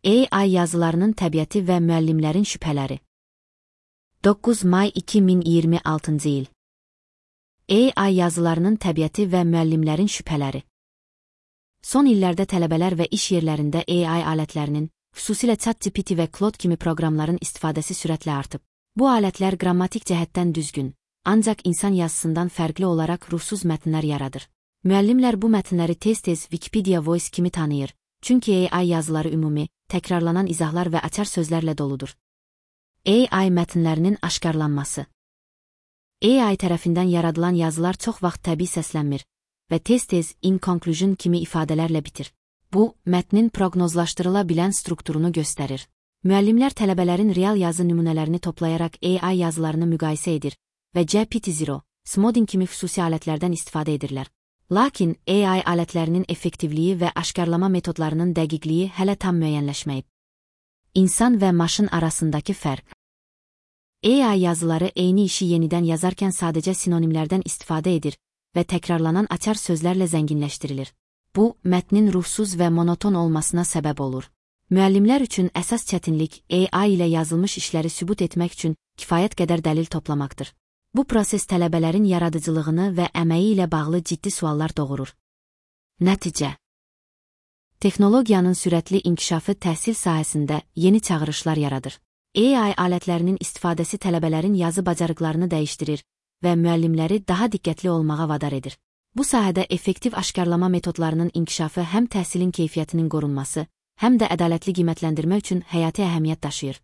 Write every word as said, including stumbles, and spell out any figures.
A I yazılarının təbiəti və müəllimlərin şübhələri. doqquz may iki min iyirmi altıncı il. A I yazılarının təbiəti və müəllimlərin şübhələri. Son illərdə tələbələr və iş yerlərində A I alətlərinin, xüsusilə ChatGPT və Claude kimi proqramların istifadəsi sürətlə artıb. Bu alətlər qrammatik cəhətdən düzgün, ancaq insan yazısından fərqli olaraq ruhsuz mətnlər yaradır. Müəllimlər bu mətnləri tez-tez Wikipedia Voice kimi tanıyır, çünki A I yazıları ümumi, təkrarlanan izahlar və açar sözlərlə doludur. A I mətnlərinin aşkarlanması. A I tərəfindən yaradılan yazılar çox vaxt təbii səslənmir və tez-tez in conclusion kimi ifadələrlə bitir. Bu, mətnin proqnozlaşdırıla bilən strukturunu göstərir. Müəllimlər tələbələrin real yazı nümunələrini toplayaraq A I yazılarını müqayisə edir və G P T zero, Smodin kimi xüsusi alətlərdən istifadə edirlər. Lakin A I alətlərinin effektivliyi və aşkarlama metodlarının dəqiqliyi hələ tam müəyyənləşməyib. İnsan və maşın arasındakı fərq. A I yazıları eyni işi yenidən yazarkən sadəcə sinonimlərdən istifadə edir və təkrarlanan açar sözlərlə zənginləşdirilir. Bu, mətnin ruhsuz və monoton olmasına səbəb olur. Müəllimlər üçün əsas çətinlik A I ilə yazılmış işləri sübut etmək üçün kifayət qədər dəlil toplamaqdır. Bu proses tələbələrin yaradıcılığını və əməyi ilə bağlı ciddi suallar doğurur. Nəticə. Texnologiyanın sürətli inkişafı təhsil sahəsində yeni çağırışlar yaradır. A I alətlərinin istifadəsi tələbələrin yazı bacarıqlarını dəyişdirir və müəllimləri daha diqqətli olmağa vadar edir. Bu sahədə effektiv aşkarlama metodlarının inkişafı həm təhsilin keyfiyyətinin qorunması, həm də ədalətli qiymətləndirmə üçün həyati əhəmiyyət daşıyır.